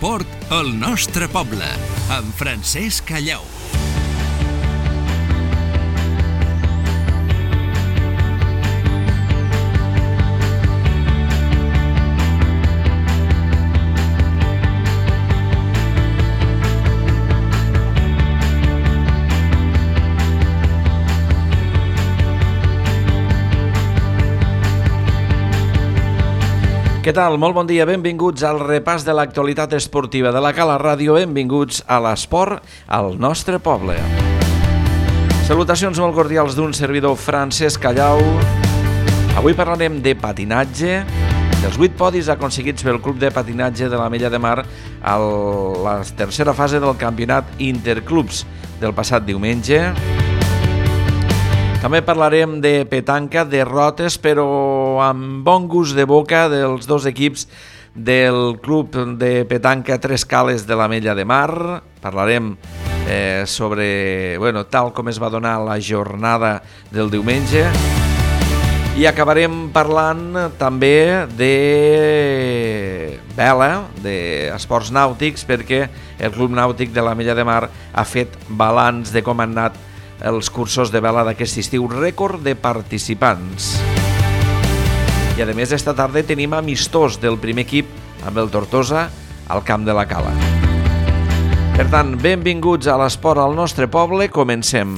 l'esport al nostre poble, amb Francesc Callau. Què tal? Molt bon dia, benvinguts al repàs de l'actualitat esportiva de la Cala Ràdio, benvinguts a l'esport al nostre poble. Salutacions molt cordials d'un servidor Francesc Callau. Avui parlarem de patinatge, dels 8 podis aconseguits pel Club de Patinatge de l'Ametlla de Mar a la tercera fase del campionat Interclubs del passat diumenge. També parlarem de petanca, derrotes, però amb bon gust de boca dels dos equips del Club de Petanca Tres Cales de l'Ametlla de Mar. Parlarem sobre, tal com es va donar la jornada del diumenge. I acabarem parlant també de vela, d'esports nàutics, perquè el Club Nàutic de l'Ametlla de Mar ha fet balanç de com han anat els cursos de vela d'aquest estiu, rècord de participants. I a més, esta tarda tenim amistós del primer equip amb el Tortosa al camp de la Cala. Per tant, benvinguts a l'esport al nostre poble, comencem.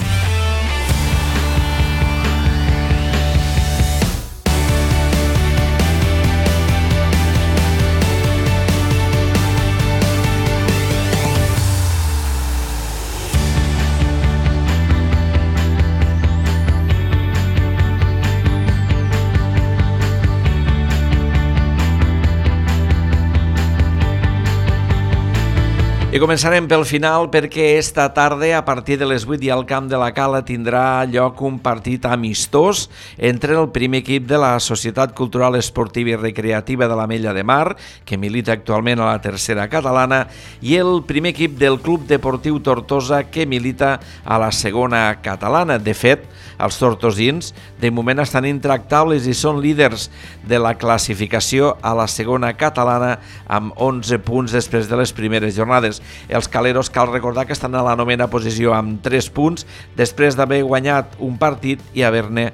I començarem pel final perquè esta tarda, a partir de les 8 i al camp de la Cala, tindrà lloc un partit amistós entre el primer equip de la Societat Cultural Esportiva i Recreativa de l'Ametlla de Mar, que milita actualment a la tercera catalana, i el primer equip del Club Deportiu Tortosa, que milita a la segona catalana. De fet, els tortosins de moment estan intractables i són líders de la classificació a la segona catalana amb 11 punts després de les primeres jornades. Els caleros cal recordar que estan a la novena posició amb 3 punts després d'haver guanyat un partit i haver-ne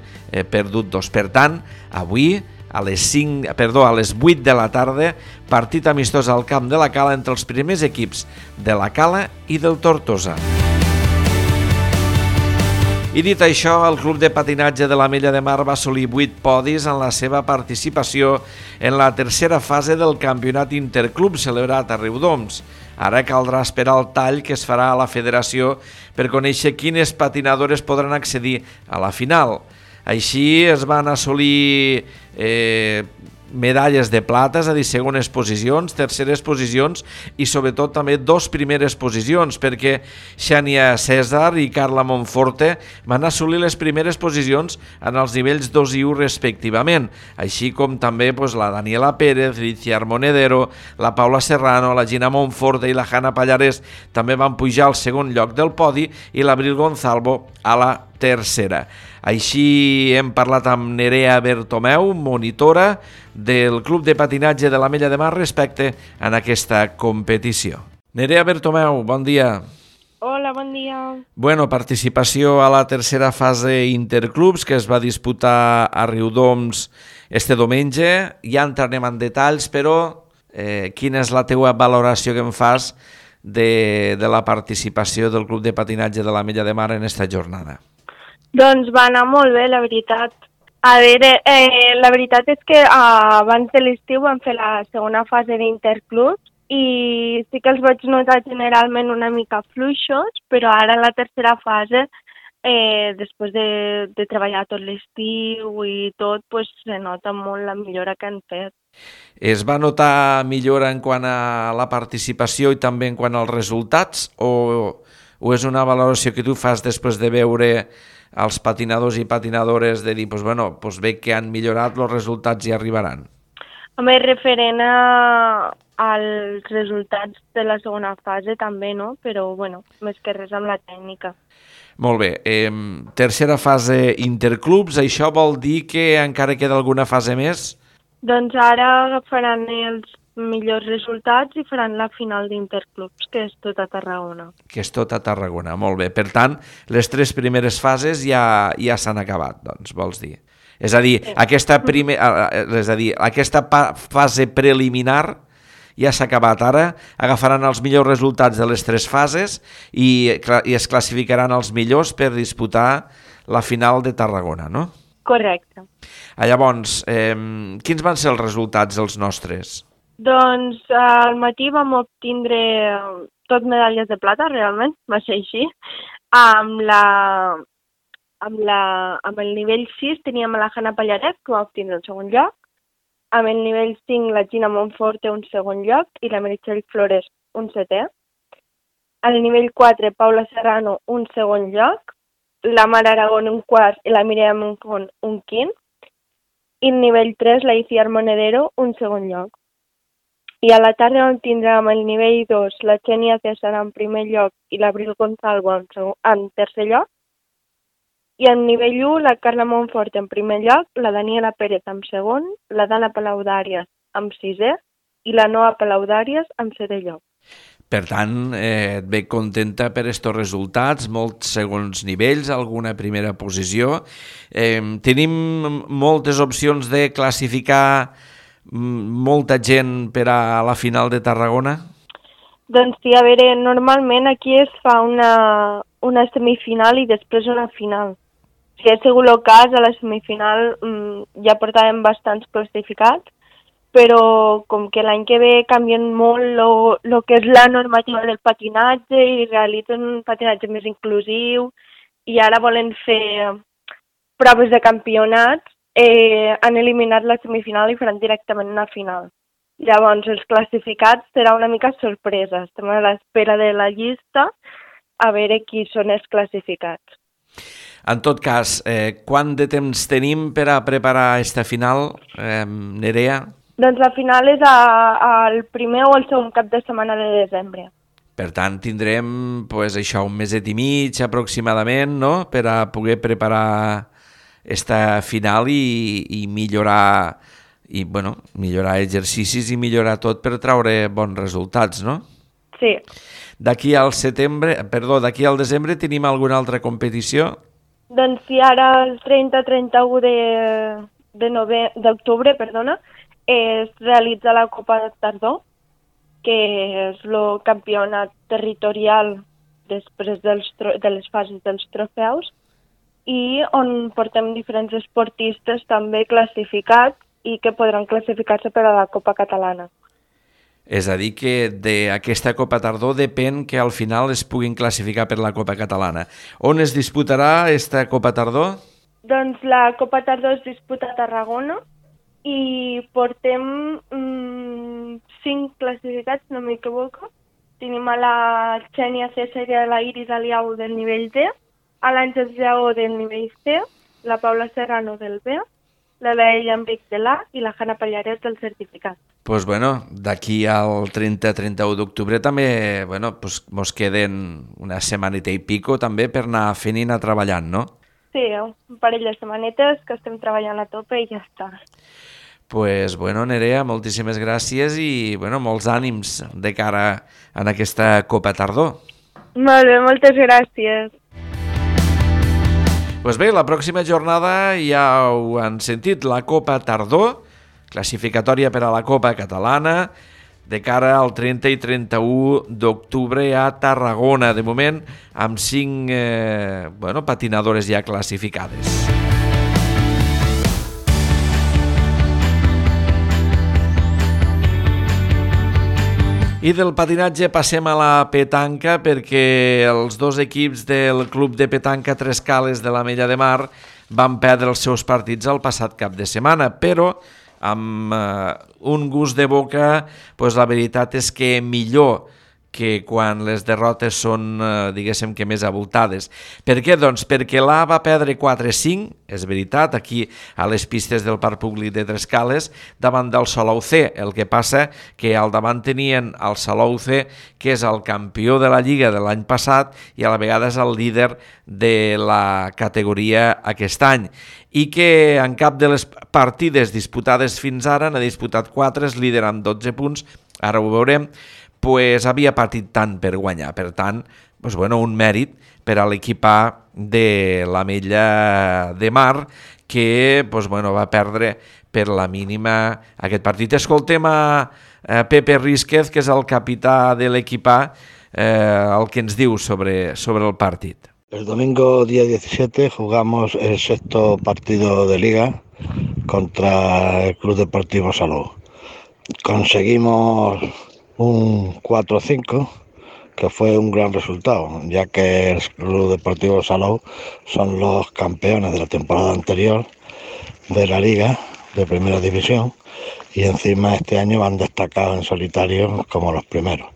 perdut 2. Per tant, avui a les 8 de la tarda, partit amistós al camp de la Cala entre els primers equips de la Cala i del Tortosa. I dit això, el Club de Patinatge de l'Ametlla de Mar va assolir 8 podis en la seva participació en la tercera fase del campionat Interclub celebrat a Riudoms. Ara caldrà esperar el tall que es farà a la federació per conèixer quines patinadores podran accedir a la final. Així es van assolir medalles de plata, és a dir, segones posicions, terceres posicions i sobretot també 2 primeres posicions, perquè Xènia César i Carla Monforte van assolir les primeres posicions en els nivells 2 i 1 respectivament, així com també la Daniela Pérez, l'Iciar Monedero, la Paula Serrano, la Gina Monforte i la Hanna Pallarés també van pujar al segon lloc del podi i l'Abril Gonzalvo a la tercera. Així hem parlat amb Nerea Bertomeu, monitora del Club de Patinatge de l'Ametlla de Mar respecte a aquesta competició. Nerea Bertomeu, bon dia. Hola, bon dia. Participació a la tercera fase Interclubs que es va disputar a Riudoms este diumenge. Ja entrarem en detalls, però quina és la teua valoració que em fas de la participació del Club de Patinatge de l'Ametlla de Mar en esta jornada? Doncs va anar molt bé, la veritat. A veure, la veritat és que abans de l'estiu vam fer la segona fase d'Interclubs i sí que els vaig notar generalment una mica fluixos, però ara en la tercera fase, després de treballar tot l'estiu i tot, se nota molt la millora que han fet. Es va notar millora en quant a la participació i també en quant als resultats o és una valoració que tu fas després de veure els patinadors i patinadores de dir, veig que han millorat, els resultats hi arribaran? Home, referent als resultats de la segona fase també, no? Però, més que res amb la tècnica. Molt bé. Tercera fase Interclubs, això vol dir que encara queda alguna fase més? Doncs ara agafaran els millors resultats i faran la final d'Interclubs, que és tot a Tarragona. Que és tot a Tarragona, molt bé. Per tant, les 3 primeres fases ja s'han acabat, doncs, vols dir. És a dir, aquesta fase preliminar ja s'ha acabat. Ara agafaran els millors resultats de les 3 fases i es classificaran els millors per disputar la final de Tarragona, no? Correcte. Llavors, quins van ser els resultats dels nostres? Doncs al matí vam obtindre tot medalles de plata, realment, va ser així. Amb el nivell 6 teníem la Hanna Pallaret, que va obtindre el segon lloc. Amb el nivell 5 la Gina Monforte un segon lloc i la Meritxell Flores un setè. Al nivell 4 Paula Serrano un segon lloc, la Mar Aragón un quart i la Mireia Moncón un quint. I al nivell 3 la Iciar Monedero un segon lloc. I a la tarda on tindrem el nivell 2 la Xènia César en primer lloc i l'Abril Gonzalvo en tercer lloc. I al nivell 1 la Carla Monfort en primer lloc, la Daniela Pérez en segon, la Dana Palaudàries en sisè i la Noa Palaudàries en setè lloc. Per tant, et ve contenta per estos resultats, molts segons nivells, alguna primera posició. Tenim moltes opcions de classificar molta gent per a la final de Tarragona? Doncs sí, a veure, normalment aquí es fa una semifinal i després una final. Si ha sigut el cas, a la semifinal ja portàvem bastants classificats, però com que l'any que ve canvien molt el que és la normativa del patinatge i realitzen un patinatge més inclusiu i ara volen fer proves de campionats, han eliminat la semifinal i faran directament una final. Llavors, els classificats serà una mica sorpresa. Estem a l'espera de la llista a veure qui són els classificats. En tot cas, quant de temps tenim per a preparar aquesta final, Nerea? Doncs la final és el primer o el segon cap de setmana de desembre. Per tant, tindrem un meset i mig aproximadament, no?, per a poder preparar esta final i millorar exercicis i millorar tot per treure bons resultats, no? Sí. D'aquí al desembre tenim alguna altra competició? Doncs sí, ara el 30-31 d'octubre, es realitza la Copa de Tardor, que és el campionat territorial després de les fases dels trofeus, i on portem diferents esportistes també classificats i que podran classificar-se per a la Copa Catalana. És a dir, que d'aquesta Copa Tardor depèn que al final es puguin classificar per la Copa Catalana. On es disputarà aquesta Copa Tardor? Doncs la Copa Tardor es disputa a Tarragona i portem 5 classificats, no m'equivoco. Tenim a la Xènia César i a la Iris Aliau del nivell D, a l'Àngels Lleó del nivell C, la Paula Serrano del B, la Laia Enric de l'A i la Hanna Pallaret del certificat. Doncs d'aquí al 30-31 d'octubre també mos queden una setmaneta i pico també per anar fent i anar treballant, no? Sí, un parell de setmanetes que estem treballant a tope i ja està. Doncs Nerea, moltíssimes gràcies i molts ànims de cara a aquesta Copa Tardor. Molt bé, moltes gràcies. Doncs bé, la pròxima jornada ja ho han sentit, la Copa Tardor, classificatòria per a la Copa Catalana, de cara al 30 i 31 d'octubre a Tarragona, de moment amb 5 patinadores ja classificades. I del patinatge passem a la petanca perquè els 2 equips del Club de Petanca Tres Cales de l'Ametlla de Mar van perdre els seus partits el passat cap de setmana, però amb un gust de boca, la veritat és que millor que quan les derrotes són, diguéssim que més abultades. Per què? Doncs perquè l'A va perdre 4-5, és veritat, aquí a les pistes del Parc Públic de Trescales, davant del Salou C. El que passa que al davant tenien el Salou C, que és el campió de la Lliga de l'any passat i a la vegada és el líder de la categoria aquest any, i que en cap de les partides disputades fins ara n'ha disputat 4, és líder amb 12 punts, ara ho veurem, pues havia partit tant per guanyar. Per tant, pues bueno, un mèrit per a l'equip A de l'Ametlla de Mar, que pues bueno, va perdre per la mínima aquest partit. Escoltem a Pepe Rísquez, que és el capità de l'equip A, el que ens diu sobre el partit. El domingo día 17 jugamos el 6º partido de Liga contra el Club Deportivo Salou. Conseguimos un 4-5, que fue un gran resultado, ya que el Club Deportivo Salou son los campeones de la temporada anterior de la Liga de Primera División y encima este año han destacado en solitario como los primeros,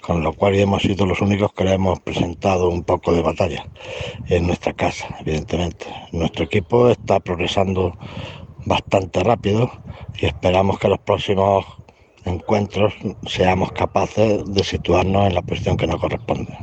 con lo cual hemos sido los únicos que le hemos presentado un poco de batalla en nuestra casa, evidentemente. Nuestro equipo está progresando bastante rápido y esperamos que los próximos encuentros seamos capaces de situarnos en la posición que nos corresponde.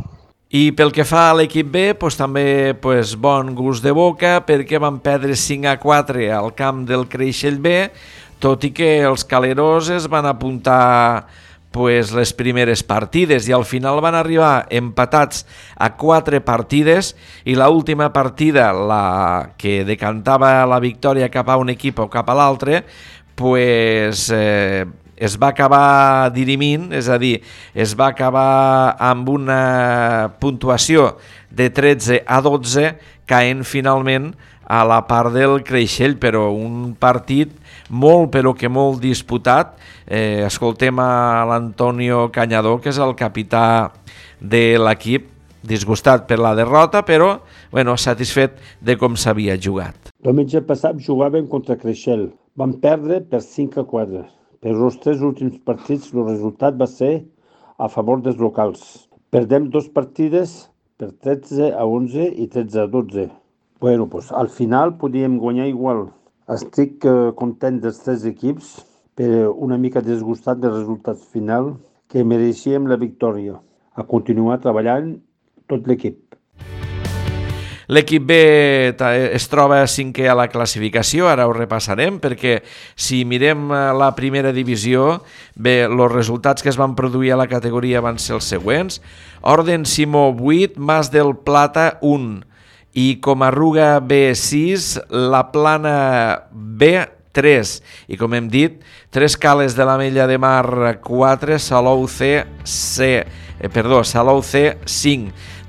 I pel que fa a l'equip B, també bon gust de boca, perquè van perdre 5-4 al camp del Creixell B, tot i que els caleros es van apuntar les primeres partides i al final van arribar empatats a 4 partides i l'última partida, la que decantava la victòria cap a un equip o cap a l'altre, es va acabar dirimint, és a dir, es va acabar amb una puntuació de 13-12, caent finalment a la part del Creixell, però un partit molt, però que molt disputat. Escoltem a l'Antonio Cañador, que és el capità de l'equip, disgustat per la derrota, però satisfet de com s'havia jugat. Diumenge passat jugàvem contra Creixell. Vam perdre per 5-4. Per els 3 últims partits el resultat va ser a favor dels locals. Perdem 2 partides per 13-11 i 13-12. Al final podíem guanyar igual. Estic content dels 3 equips, però una mica disgustat del resultat final, que mereixíem la victòria. A continuar treballant tot l'equip. L'equip B es troba 5è a la classificació, ara ho repassarem, perquè si mirem la primera divisió, els resultats que es van produir a la categoria van ser els següents. Orden Simó 8, Mas del Plata 1 i Comarruga B 6, La Plana B 3 i, com hem dit, Tres Cales de l'Ametlla de Mar 4, Salou C 5.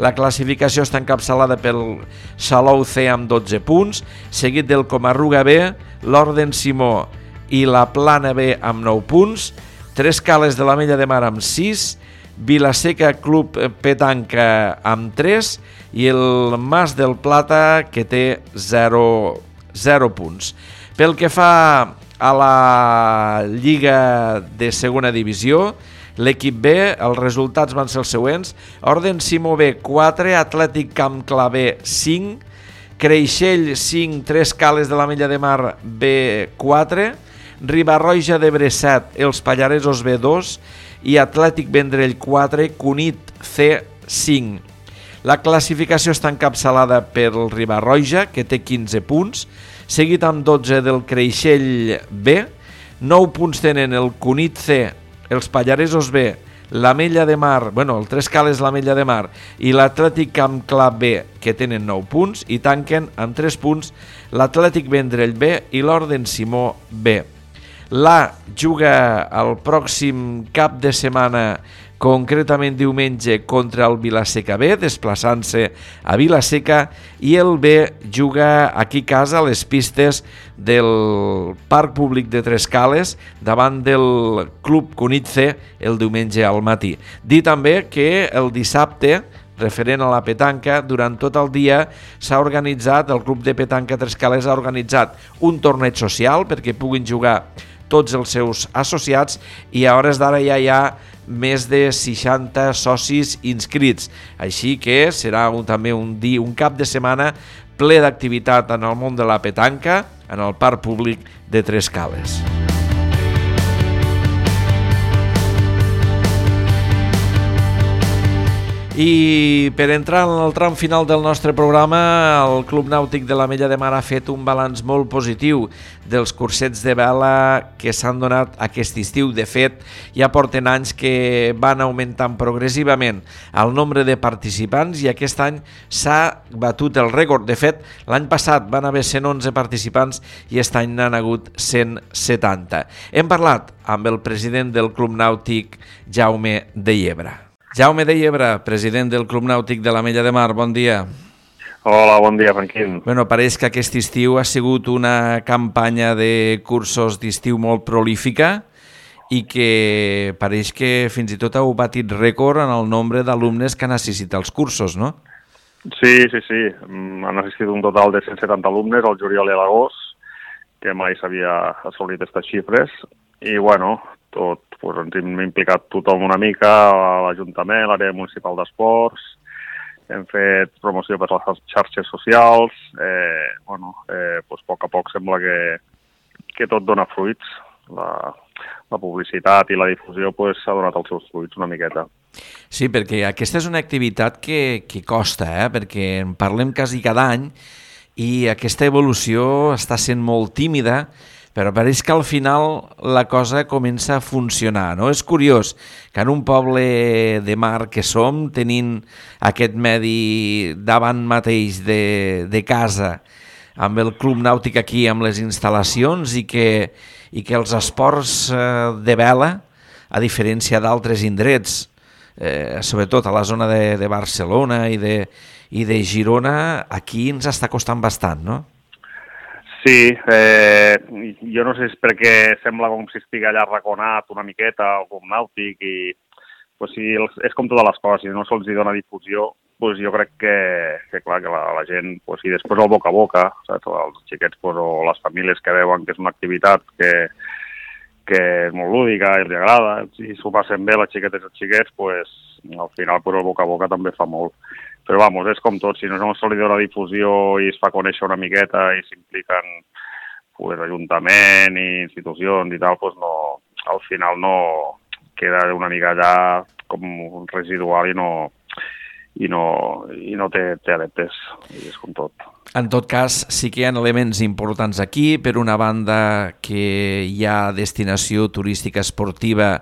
La classificació està encapçalada pel Salou C amb 12 punts, seguit del Comarruga B, l'Orden Simó i la Plana B amb 9 punts, Tres Cales de l'Ametlla de Mar amb 6, Vilaseca Club Petanca amb 3 i el Mas del Plata, que té 0 punts. Pel que fa a la Lliga de Segona Divisió, l'equip B, els resultats van ser els següents: Orden Simó B 4, Atlètic Camp Clar B 5, Creixell 5, Tres Cales de l'Ametlla de Mar B 4, Riba-roja d'Ebre 7, Els Pallaresos B 2 i Atlètic Vendrell 4, Cunit C 5. La classificació està encapçalada pel Riba-roja, que té 15 punts, seguit amb 12 del Creixell B, 9 punts tenen el Cunit C, els Pallaresos B, l'Ametlla de Mar, el Tres Cales l'Ametlla de Mar i l'Atlètic Camp Clar B, que tenen 9 punts, i tanquen amb 3 punts l'Atlètic Vendrell B i l'Orden Simó B. L'A juga el pròxim cap de setmana, concretament diumenge, contra el Vilaseca B, desplaçant-se a Vilaseca, i el B juga aquí a casa a les pistes del Parc Públic de Tres Cales davant del Club Cunit C el diumenge al matí. Dir també que el dissabte, referent a la petanca, durant tot el dia s'ha organitzat, el Club de Petanca Tres Cales ha organitzat un torneig social perquè puguin jugar tots els seus associats, i a hores d'ara ja hi ha més de 60 socis inscrits. Així que serà també un cap de setmana ple d'activitat en el món de la petanca en el parc públic de Tres Cales. I per entrar en el tram final del nostre programa, el Club Nàutic de l'Ametlla de Mar ha fet un balanç molt positiu dels cursets de vela que s'han donat aquest estiu. De fet, ja porten anys que van augmentant progressivament el nombre de participants i aquest any s'ha batut el rècord. De fet, l'any passat van haver 111 participants i aquest any n'han hagut 170. Hem parlat amb el president del Club Nàutic, Jaume de Llebre. Jaume de Llebre, president del Club Nàutic de l'Ametlla de Mar, bon dia. Hola, bon dia, Franquín. Bueno, pareix que aquest estiu ha sigut una campanya de cursos d'estiu molt prolífica i que pareix que fins i tot heu batit rècord en el nombre d'alumnes que han assistit als cursos, no? Sí. Han assistit un total de 170 alumnes al juliol i a l'agost, que mai s'havia assolit aquestes xifres. I, bueno, ens hem implicat tothom una mica, l'Ajuntament, l'àrea municipal d'esports, hem fet promoció per les xarxes socials, a poc a poc sembla que tot dona fruits. La publicitat i la difusió s'ha donat els seus fruits una miqueta. Sí, perquè aquesta és una activitat que costa, perquè en parlem quasi cada any i aquesta evolució està sent molt tímida, però pareix que al final la cosa comença a funcionar, no? És curiós que en un poble de mar que som, tenint aquest medi davant mateix de casa, amb el Club Nàutic aquí, amb les instal·lacions, i que els esports de vela, a diferència d'altres indrets, sobretot a la zona de Barcelona i de Girona, aquí ens està costant bastant, no? Sí, jo no sé si és perquè sembla com si estigui allà arraconat una miqueta el Club Nàutic i sí, és com totes les coses, si no se'ls dona difusió, jo crec que la gent, i després el boca a boca, saps? Els xiquets o les famílies que veuen que és una activitat que és molt lúdica i els agrada, si s'ho passen bé les xiquetes i els xiquets, al final el boca a boca també fa molt. Però, és com tot, si no se li dona difusió i es fa conèixer una miqueta i s'impliquen Ajuntament i institucions i tal, al final no queda una mica allà com residual i no té adeptes, i és com tot. En tot cas, sí que hi ha elements importants aquí. Per una banda, que hi ha destinació turística esportiva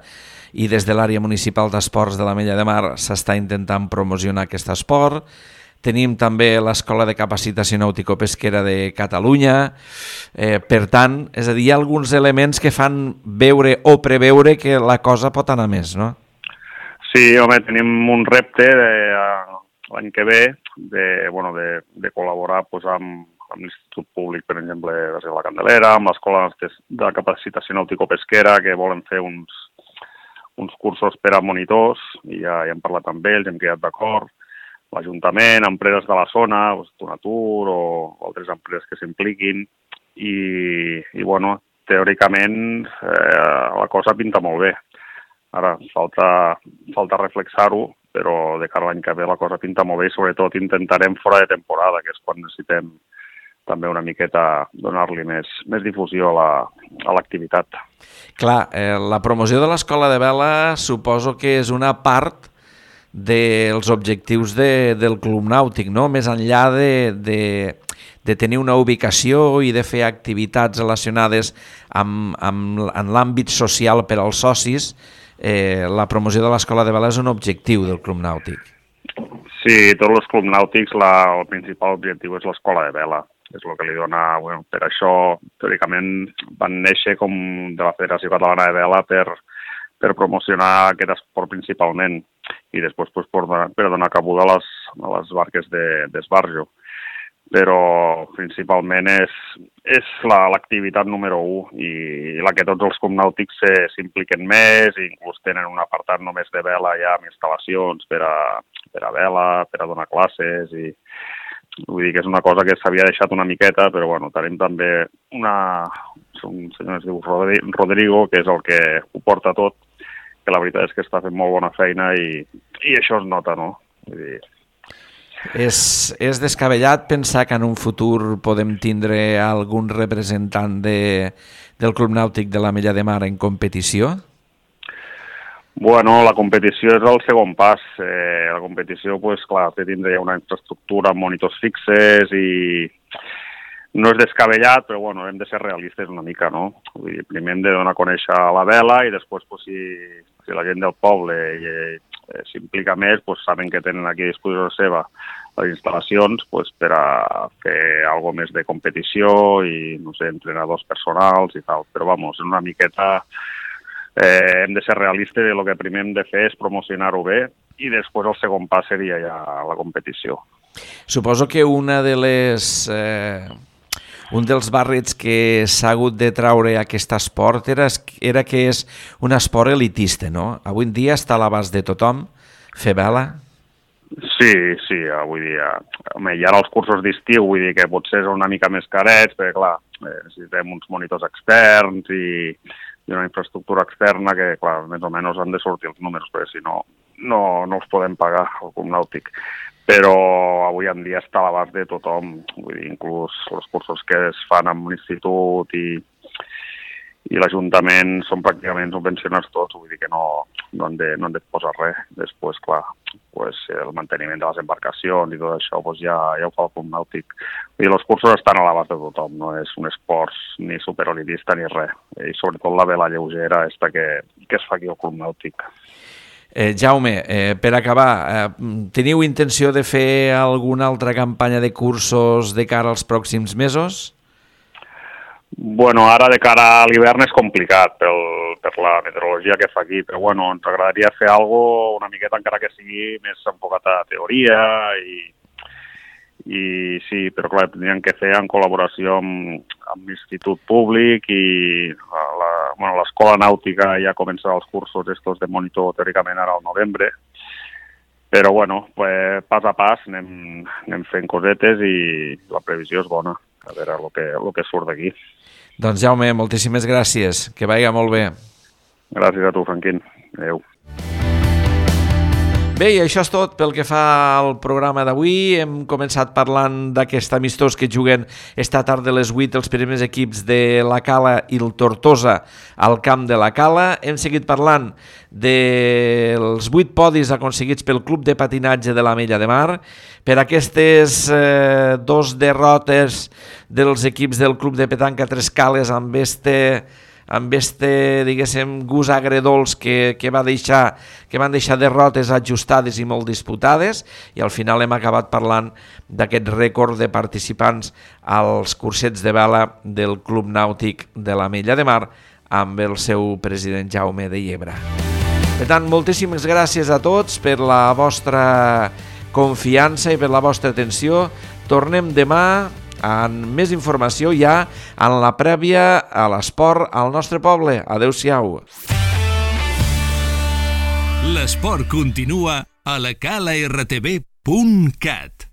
i des de l'àrea municipal d'esports de l'Ametlla de Mar s'està intentant promocionar aquest esport. Tenim també l'Escola de Capacitació Nàutico-Pesquera de Catalunya. Per tant, és a dir, hi ha alguns elements que fan veure o preveure que la cosa pot anar més, no? Sí, home, tenim un repte l'any que ve de col·laborar amb l'Institut Públic, per exemple, de la Candelera, amb l'Escola de Capacitació Nàutico-Pesquera, que volen fer uns cursos per a monitors, i ja hem parlat amb ells, hem quedat d'acord. L'Ajuntament, empreses de la zona, Donatur o altres empreses que s'impliquin, i teòricament la cosa pinta molt bé. Ara falta reflexar-ho, però de cara a l'any que ve la cosa pinta molt bé i sobretot intentarem fora de temporada, que és quan necessitem també una miqueta donar-li més difusió a l'activitat. Clar, la promoció de l'Escola de Vela suposo que és una part dels objectius del Club Nàutic, no? Més enllà de tenir una ubicació i de fer activitats relacionades en l'àmbit social per als socis, la promoció de l'Escola de Vela és un objectiu del Club Nàutic. Sí, tots els clubs nàutics el principal objectiu és l'Escola de Vela. És el que li dona, per això, teòricament, van néixer com de la Federació Catalana de Vela per promocionar aquest esport principalment i després per donar cabuda a les barques d'esbarjo. Però principalment és l'activitat número 1 i la que tots els clubs nàutics s'impliquen més i inclús tenen un apartat només de vela ja amb instal·lacions per a vela, per a donar classes i vull dir que és una cosa que s'havia deixat una miqueta, però tenim també un senyor es diu Rodrigo, que és el que ho porta tot, que la veritat és que està fent molt bona feina i això es nota, no? Vull dir... És descabellat pensar que en un futur podem tindre algun representant del Club Nàutic de l'Ametlla de Mar en competició? Bueno, la competició és el segon pas. La competició, pues, clar, té tindre una infraestructura amb monitors fixes i no és descabellat, però bueno, hem de ser realistes una mica, no? Vull dir, primer hem de donar a conèixer la vela i després, pues, si la gent del poble s'implica més, pues, saben que tenen aquí a disposició seva les instal·lacions pues, per a fer alguna més de competició i, no sé, entrenadors personals i tal. Però, vamos, una miqueta hem de ser realistes i el que primer hem de fer és promocionar-ho bé i després el segon pas seria ja la competició. Suposo que un dels barrets que s'ha hagut de traure aquest esport era que és un esport elitista, no? Avui en dia està a l'abast de tothom fer vela? Sí, avui dia. Home, i ara els cursos d'estiu, vull dir que potser són una mica més carets, perquè clar, necessitem uns monitors externs i una infraestructura externa que, clar, més o menys han de sortir els números, perquè si no els podem pagar al Club Nàutic. Però avui en dia està a l'abast de tothom, vull dir, inclús els cursos que es fan amb l'institut i l'Ajuntament són pràcticament subvencionats tots, vull dir que no han de posar res. Després, clar, pues, el manteniment de les embarcacions i tot això pues, ja ho fa el Club Nàutic. Vull dir, els cursos estan a l'abast de tothom, no és un esport ni superelitista ni res. I sobretot la vela lleugera que es fa aquí al Club Nàutic. Jaume, per acabar, teniu intenció de fer alguna altra campanya de cursos de cara als pròxims mesos? Bueno, ara de cara a l'hivern és complicat per la meteorologia que fa aquí, però bueno, ens agradaria fer alguna una miqueta encara que sigui més enfocat a teoria i sí, però clar, tindríem que fer en col·laboració amb l'Institut Públic i l'Escola Nàutica ja començarà els cursos estos de monitor teòricament ara al novembre, però bueno, pues, pas a pas anem fent cosetes i la previsió és bona, a veure el que surt d'aquí. Doncs Jaume, moltíssimes gràcies, que vagi molt bé. Gràcies a tu, Franquín. Adéu. Bé, i això és tot pel que fa al programa d'avui. Hem començat parlant d'aquest amistós que juguen esta tarda a les 8 els primers equips de la Cala i el Tortosa al camp de la Cala. Hem seguit parlant dels 8 podis aconseguits pel Club de Patinatge de l'Ametlla de Mar, per aquestes 2 derrotes dels equips del Club de Petanca Tres Cales amb diguéssim, gust agredolç que van deixar derrotes ajustades i molt disputades, i al final hem acabat parlant d'aquest rècord de participants als cursets de vela del Club Nàutic de l'Ametlla de Mar amb el seu president Jaume de Llebre. Per tant, moltíssimes gràcies a tots per la vostra confiança i per la vostra atenció. Tornem demà amb més informació ja en la prèvia a l'esport al nostre poble. Adéu-siau. L'esport continua a lacalartv.cat.